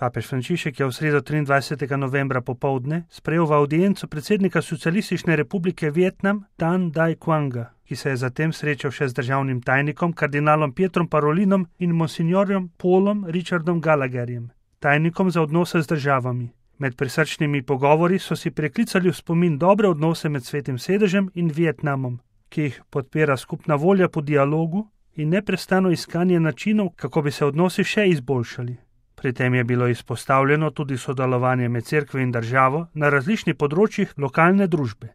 Papež Frančišek je v sredo 23. novembra popoldne sprejel v avdienco predsednika Socialistične republike Vietnam Tan Dai Quanga, ki se je zatem srečal še z državnim tajnikom kardinalom Pietrom Parolinom in monsignorjem Paulom Richardom Gallagherjem, tajnikom za odnose z državami. Med prisrčnimi pogovori so si preklicali v spomin dobre odnose med Svetim sedežem in Vietnamom, ki jih podpira skupna volja po dialogu in neprestano iskanje načinov, kako bi se odnosi še izboljšali. Pri tem je bilo izpostavljeno tudi sodelovanje med cerkvijo in državo na različnih področjih lokalne družbe.